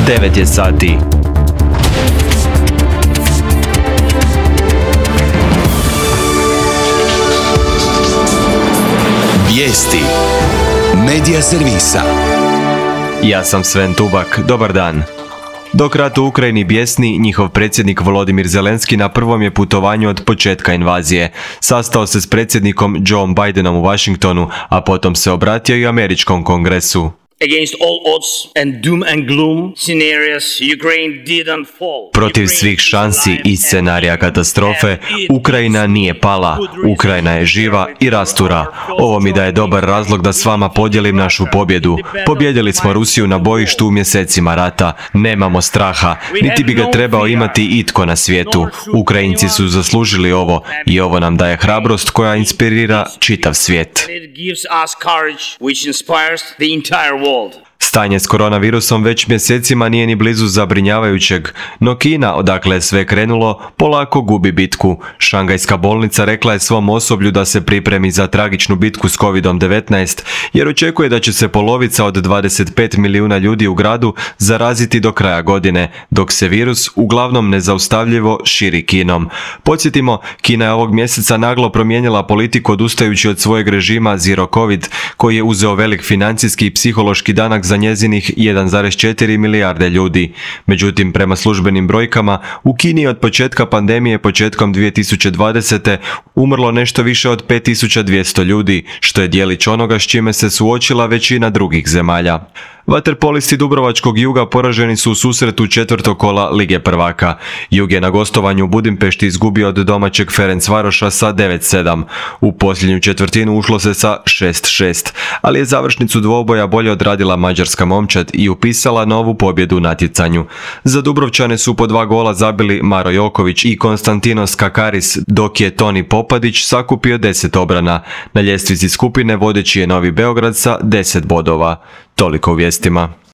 9 je sati. Vijesti Medija servisa. Ja sam Sven Tubak, dobar dan. Dok rat u Ukrajini bjesni, njihov predsjednik Volodimir Zelenski na prvom je putovanju od početka invazije. Sastao se s predsjednikom Joe Bidenom u Washingtonu, a potom se obratio i američkom kongresu. Against all odds and doom and gloom scenarios, Ukraine didn't fall. Protiv svih šansi i scenarija katastrofe, Ukrajina nije pala, Ukrajina je živa i rastura. Ovo mi daje dobar razlog da s vama podijelim našu pobjedu. Pobjedili smo Rusiju na bojištu u mjesecima rata. Nemamo straha, niti bi ga trebao imati itko na svijetu. Ukrajinci su zaslužili ovo i ovo nam daje hrabrost koja inspirira čitav svijet. It gives us courage which inspires the entire world. Stanje s koronavirusom već mjesecima nije ni blizu zabrinjavajućeg, no Kina, odakle je sve krenulo, polako gubi bitku. Šangajska bolnica rekla je svom osoblju da se pripremi za tragičnu bitku s COVID-19, jer očekuje da će se polovica od 25 milijuna ljudi u gradu zaraziti do kraja godine, dok se virus uglavnom nezaustavljivo širi Kinom. Podsjetimo, Kina je ovog mjeseca naglo promijenila politiku odustajući od svojeg režima Zero Covid, koji je uzeo velik financijski i psihološki danak za njezinih 1,4 milijarde ljudi. Međutim, prema službenim brojkama, u Kini je od početka pandemije početkom 2020. umrlo nešto više od 5200 ljudi, što je djelić onoga s čime se suočila većina drugih zemalja. Vaterpolisti Dubrovačkog Juga poraženi su u susretu četvrtog kola Lige prvaka. Jug je na gostovanju u Budimpešti izgubio od domaćeg Ferencvaroša sa 9-7. U posljednju četvrtinu ušlo se sa 6-6, ali je završnicu dvoboja bolje odradila mađarska momčad i upisala novu pobjedu u natjecanju. Za Dubrovčane su po 2 gola zabili Maro Joković i Konstantinos Kakaris, dok je Toni Popadić sakupio 10 obrana. Na ljestvici skupine vodeći je Novi Beograd sa 10 bodova. Toliko u vijestima.